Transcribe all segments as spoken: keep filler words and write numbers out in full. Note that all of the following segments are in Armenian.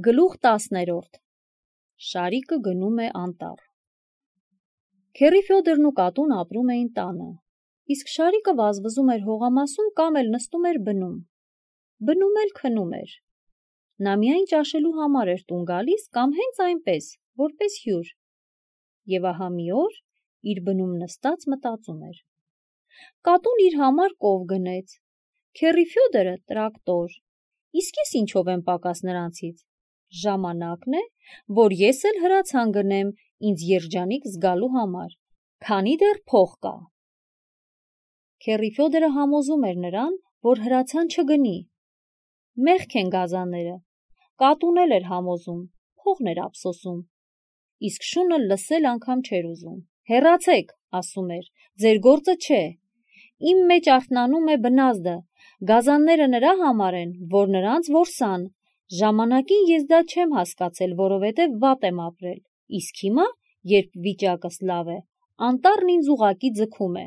Գլուխ տասներորդ Շարիկը գնում է անտառ։ Քեռի Ֆյոդորն ու կատուն ապրում էին տանը, իսկ Շարիկը վազվզում էր հողամասում կամ էլ նստում էր բնում։ Բնում էլ քնում էր։ Նա միայն ճաշելու համար էր տուն գալիս կամ հենց այնպես, որպես հյուր։ Եվ ահա մի օր իր բնում նստած մտածում էր. կատուն իր համար կով գնեց, քեռի Ֆյոդորը տրակտոր, իսկ ես ինչով եմ պակաս նրանցից։ Ժամանակն է, որ ես էլ հրացան գնեմ ինձ երջանիկ զգալու համար, քանի դեռ փող կա։ Քեռի Ֆյոդորը համոզում էր նրան, որ հրացան չգնի։ Մեղք են գազանները, կատուն էլ էր համոզում, փողն էր ափսոսում։ Իսկ շունը լսել անգամ չէր ուզում։ Հեռացեք, ասում էր, ձեր գործը չէ։ Իմ մեջ արթնանում է բնազդը, գազանները նրա համար են, որ նրանց որսան։ Ժամանակին ես դա չեմ հասկացել, որովհետև վատ եմ ապրել, իսկ հիմա, երբ վիճակս լավ է, անտառն ինձ ուղղակի ձգում է։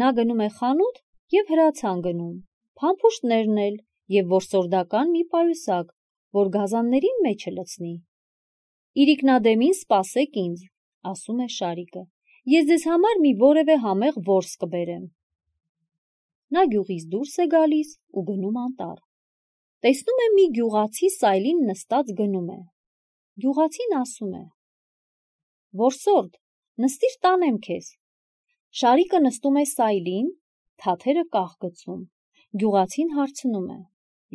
Նա գնում է խանութ և հրացան գնում, փամփուշտներն էլ և որսորդական մի պայուսակ, որ գազաններին մեջը լցնի։ Իրիկնադեմին սպասեք ինձ, ասում է Շարիկը, ես ձեզ համար մի որևէ համեղ որս կբերեմ։ Նա գյուղից դուրս է գալիս ու գնում անտառ։ Տեսնում է մի գյուղացի սայլին նստած գնում է։ Գյուղացին ասում է. որսորդ, նստիր տանեմ քեզ։ Շարիկը նստում է սայլին, թաթերը կաղ գցում։ Գյուղացին հարցնում է.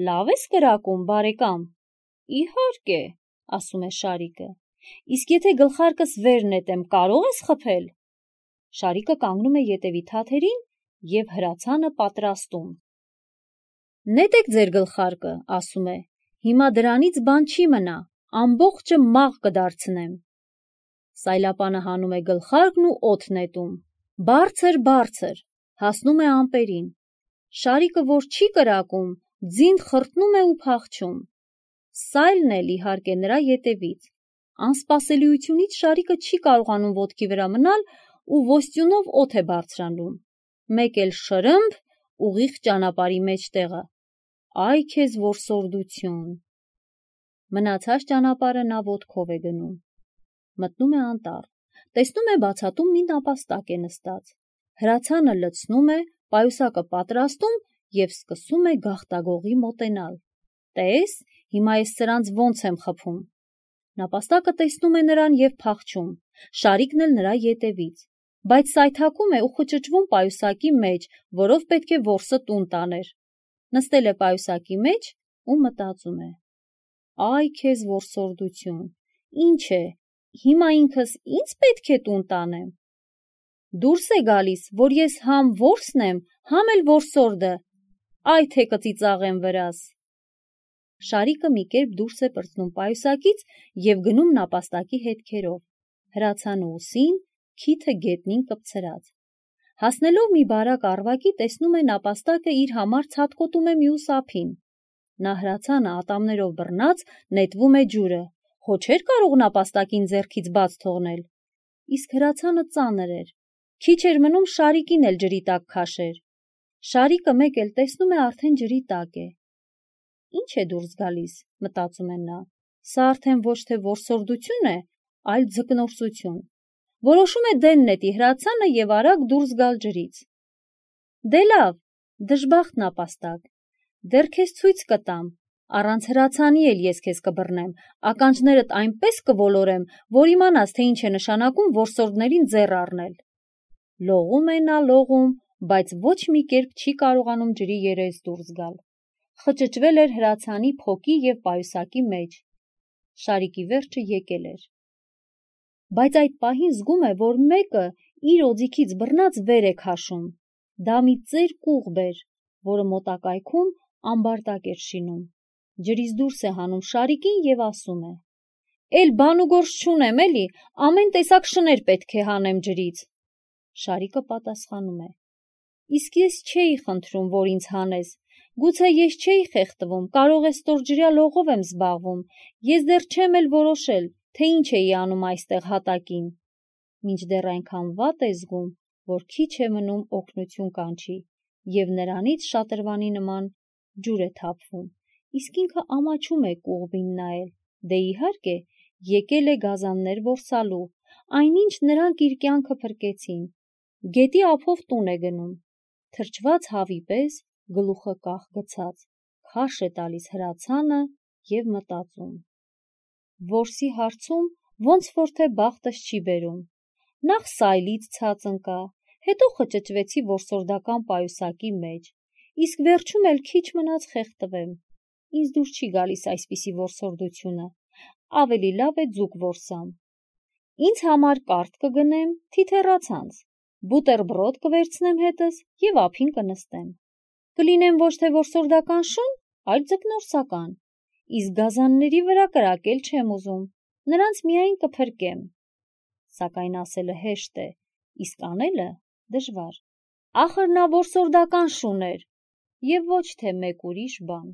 լավ ես կրակում, բարեկամ։ Իհարկե, ասում է Շարիկը, իսկ եթե գլխարկս վեր նետեմ, կարող ես խփել։ Շարիկը կանգնում է ետևի թաթերին և հրացանը պատրաստում։ Նետեք ձեր գլխարկը, ասում է, հիմա դրանից բան չի մնա, ամբողջը մաղ կդարձնեմ։ Սայլապանը հանում է գլխարկն ու օդ նետում։ Բարձր, բարձր, հասնում է ամպերին։ Շարիկը, որ չի կրակում, ձին խրտնում է ու փախչում։ Սայլն էլ իհարկե նրա ետևից։ Անսպասելիությունից Շարիկը չի կարողանում ոտքի վրա մնալ ու ոստյունով օդ է բարձրանում։ Մեկ էլ շրըմփ, ուղիղ ճանապարհի մեջտեղը։ Այ քեզ որսորդություն։ Մնացած ճանապարհը նա ոտքով է գնում։ Մտնում է անտառ, տեսնում է բացատում մի նապաստակ է նստած։ Հրացանը լցնում է, պայուսակը պատրաստում և սկսում է գաղտագողի մոտենալ։ Տես, հիմա ես սրանց ոնց եմ խփում։ Նապաստակը տեսնում է նրան և փախչում, Շարիկն էլ նրա ետևից, բայց սայթաքում է ու խճճվում պայուսակի մեջ, որով պետք է որսը տուն տաներ։ Նստել է պայուսակի մեջ ու մտածում է. այ քեզ որսորդություն, ինչ է, հիմա ինքս ինձ պետք է տուն տանեմ։ Դուրս է գալիս, որ ես համ որսն եմ, համ էլ որսորդը, այ թե կծիծաղեմ վրաս։ Շարիկը մի կերպ դուրս է պրծնում պայուսակից և գնում նապաստակի հետքերով, հրացանը ուսին, քիթը գետնին կպցրած։ Հասնելով մի բարակ առվակի, տեսնում է նապաստակը իր համար ցատկոտում է մյուս ափին։ Նա հրացանը ատամներով բռնած նետվում է ջուրը, հո չէր կարող նապաստակին ձեռքից բաց թողնել։ Իսկ հրացանը ծանր էր, քիչ էր մնում Շարիկին էլ ջրի տակ քաշեր։ Շարիկը մեկ էլ տեսնում է արդեն ջրի տակ է։ Ինչ է դուրս գալիս, մտածում է նա, սա արդեն ոչ թե որսորդություն է, այլ ձկնորսություն։ Որոշում է դեն նետի հրացանը և արագ դուրս գալ ջրից։ Դե լավ, դժբախտ նապաստակ, դեռ քեզ ցույց կտամ, առանց հրացանի էլ ես քեզ կբռնեմ, ականջներդ այնպես կոլորեմ, որ իմանաս, թե ինչ է նշանակում որսորդներին ձեռ առնել։ Լողում է նա լողում, բայց ոչ մի կերպ չի կարողանում ջրի երես դուրս գալ։ Խճճվել էր հրացանի փոկի և պայուսակի մեջ։ Շարիկի վերջը եկել էր։ Բայց այդ պահին զգում է, որ մեկը իր օձիքից բռնած վեր է քաշում։ Դա մի ծեր կուղբ էր, որը մոտակայքում ամբարտակ էր շինում։ Ջրից դուրս է հանում Շարիկին և ասում է. Էլ բան ու գործ չունեմ էլի, ամեն տեսակ շներ պետք է հանեմ ջրից։ Շարիկը պատասխանում է. իսկ ես չէի խնդրում, որ ինձ հանես, գուցե ես չէի խեղդվում, կարող է ստորջրյա լողով եմ զբաղվում, ես դեռ չեմ էլ որոշել, թե ինչ էի անում այստեղ հատակին։ Մինչդեռ այնքան վատ է զգում, որ քիչ է մնում օգնություն կանչի, և նրանից շատրվանի նման ջուր է թափվում, իսկ ինքը ամաչում է կողմին նայել, դե իհարկե եկել է գազաններ որսալու, այնինչ նրանք իր կյանքը փրկեցին, գետի ափով տուն է գնում, թրջված հավի պես գլուխը կախ գցած, քարշ է տալիս հրացանը և մտածում. որսի հարցում ոնց որ թե բախտս չի բերում, նախ սայլից ցած ընկա, հետո խճճվեցի որսորդական պայուսակի մեջ, իսկ վերջում էլ քիչ մնաց խեղդվեմ, ինձ դուր չի գալիս այսպիսի որսորդությունը, ավելի լավ է ձուկ որսամ, ինձ համար կարթ կգնեմ թիթեռացանց, բուտերբրոդ կվերցնեմ հետս և ափին կնստեմ, կլինեմ ոչ թե որսորդական շուն, այլ ձկնորսական, իսկ գազանների վրա կրակել չեմ ուզում, նրանց միայն կփրկեմ, սակայն ասելը հեշտ է, իսկ անելը դժվար, ախր նա որսորդական շուն էր և ոչ թե մեկ ուրիշ բան։